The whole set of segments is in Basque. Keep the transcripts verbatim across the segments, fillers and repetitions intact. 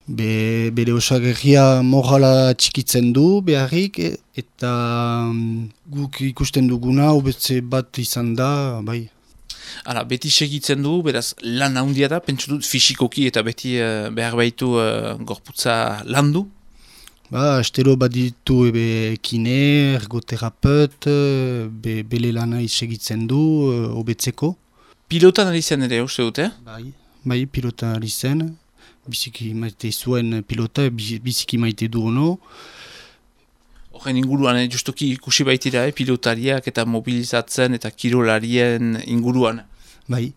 Be, bere osagerria morala txikitzen du beharrik, e, eta um, guk ikusten duguna hobetze bat izan da, bai. Hala, beti segitzen du, beraz lan handia da, pentsu dut fisikoki eta beti uh, behar baitu uh, gorputza landu? Ba, astero baditu ebe kine, ergoterapeut, be, bele lana segitzen du, hobetzeko. Pilotan ari zen ere, uste dute? Bai, bai, pilotan ari zen. Biziki maite zuen pilota, biziki maite du ono. Horren inguruan, eh, justuki ikusi baitira, eh, pilotariak eta mobilizatzen eta kirolarien inguruan. Bai,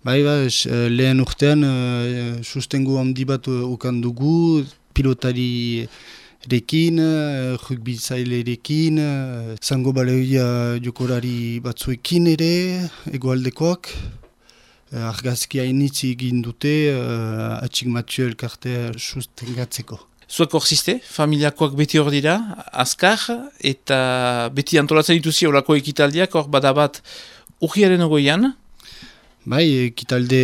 bai, bai, lehen urtean uh, sustengo handi bat ukan dugu, pilotari rekin, uh, rugbizailerekin, uh, zango baleoia jokolari batzuekin ere, egoaldekoak. Uh, argazkia initzi egin dute, uh, atxik Mathieu elkartea sustengatzeko. Zuek hor ziste, familiakoak beti hor dira, azkar, eta beti antolatzen dituzi horako ekitaldiak, hor badabat urriaren ogoian. Bai, ekitalde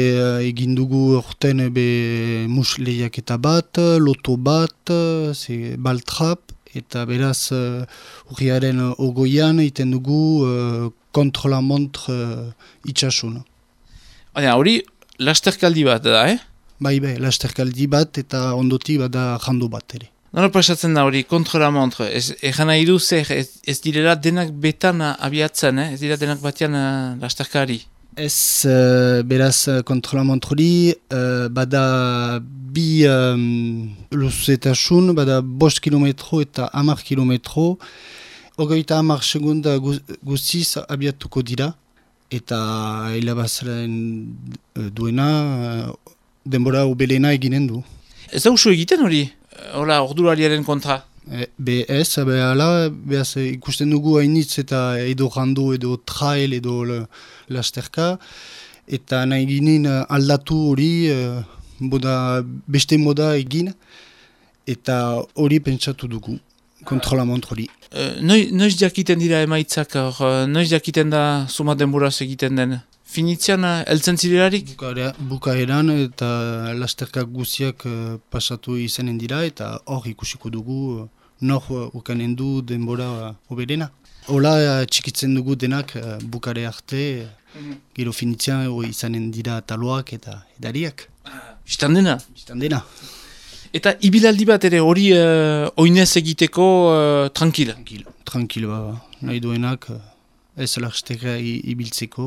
egin dugu orten be musleiak eta bat, loto bat, ze baltrap, eta beraz uh, urriaren ogoian egiten dugu uh, kontrola-montre uh, itxasun. Baina, hori lasterkaldi bat da, eh? Bai, bai, lasterkaldi bat eta ondoti bada jandu bat ere. Nola pasatzen da hori, kontra-la-montre, ez, egan nahi du zer, ez, ez direla denak betan abiatzen, eh? Ez dira denak batean uh, lasterkari. Ez, uh, beraz, kontra-la-montre hori, uh, bada bi um, luzetasun, bada bost kilometro eta hamar kilometro, hogeita hamar segunda guztiz abiatuko dira, eta hilabazaren uh, duena, uh, denbora ubelena eginen du. Ez da usu egiten hori, hola, ordulariaren kontra? E, be ez, be ala, behaz, ikusten dugu hainitz eta edo rando, edo trail, edo le, lasterka, eta nahi ginen aldatu hori, uh, boda, beste moda egin, eta hori pentsatu dugu, kontrola-montre hori. Uh, noiz, noiz jakiten dira emaitzak, or, noiz jakiten da suma denboraz egiten den? Finitzean, heltzen zirelarik? Bukarea, bukaeran eta lasterkak guziak uh, pasatu izanen dira eta hor ikusiko dugu uh, nor uh, ukanen du denbora oberena. Hola uh, txikitzen dugu denak uh, bukare arte, mm-hmm. Gero finitzean uh, izanen dira taloak eta edariak. Ah, Bistan dena? Bistan dena. Eta ibilaldi bat ere hori uh, oinez egiteko uh, tranquil? Tranquil, tranquil ba, nahi duenak. Uh, Ez lasterka ibiltzeko,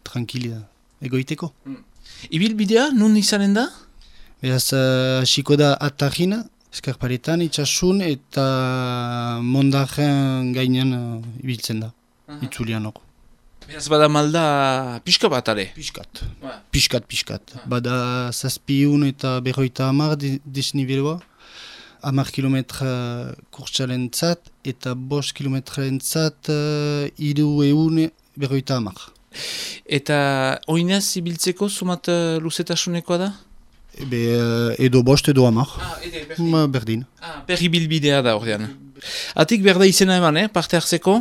tranquila egoiteko. Mm. Ibilbidea, nun izanen da? Beraz, hasiko uh, da atarrin, eskarparetan, itxasun eta mondaren gainean uh, ibiltzen da, uh-huh. Itzulian hor. Beraz, bada malda pixka bat, ale? Piskat, ouais. piskat, piskat. Uh-huh. Bada zazpiun eta berroita hamar desniveloa. Hamar kilometra kurtsaren zat eta bost kilometraren zat uh, iru eun berroita hamar. Eta oinez ibiltzeko sumat uh, luzetasunekoa da? Ebe, uh, edo bost edo hamar. Ah, ede, berdin. Ma, berdin. Ah, berri bilbidea da ordean. Atik berda izena eman, eh, parte hartzeko?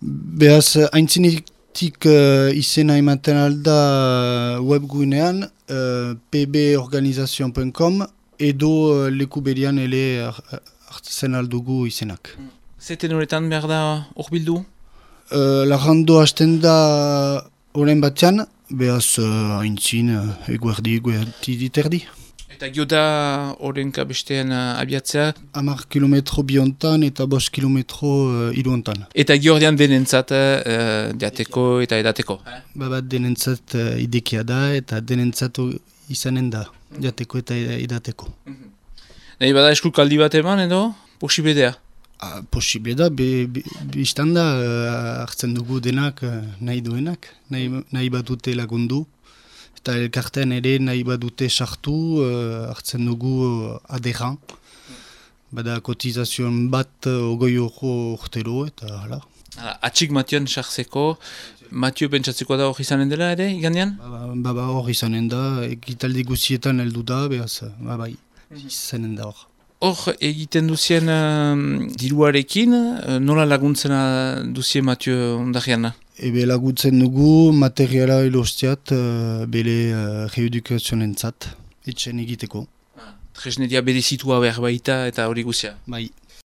Beaz, haintzinetik uh, izena ematen alda webgunean uh, p b organisation punto com edo uh, leku berian ele hartzen aldugu izenak. Zeten horretan behar da hor bildu? Uh, Larrando hasten da horren batean, behaz uh, haintzin uh, eguerdi eguerdi diterdi. Eta gio da horrenka bestean uh, abiatzea? Hamar kilometro biontan eta bost kilometro uh, iruontan. Eta gio ordean denentzat uh, diateko eta edateko? Babat denentzat uh, idekia da eta denentzat izanen da. Jateko eta edateko. Mm-hmm. Nahi bada eskukaldi bat eman edo posibledea? Ah, posible da, be, be, biztan da uh, hartzen dugu denak uh, nahi duenak, nahi, nahi badute lagundu. Eta elkartean ere nahi badute sartu uh, hartzen dugu uh, aderan. Bada kotizazion bat uh, ogoi horro urtero eta hala. Atxik Matioan sartzeko, Matio pentsatzeko da hori izanen dela ere, igandean? Baba ba, ba, hori izanen da, egitaldi guzietan heldu da, behaz, ba, bai, izanen da hor. Hor egiten duzien uh, diruarekin, uh, nola laguntzen duzien Matio ondariana? Ebe laguntzen dugu materiala elostiat uh, bele uh, reedukazionentzat, etxen egiteko. Tresneria berezitua behar baita eta hori guzia. Bai.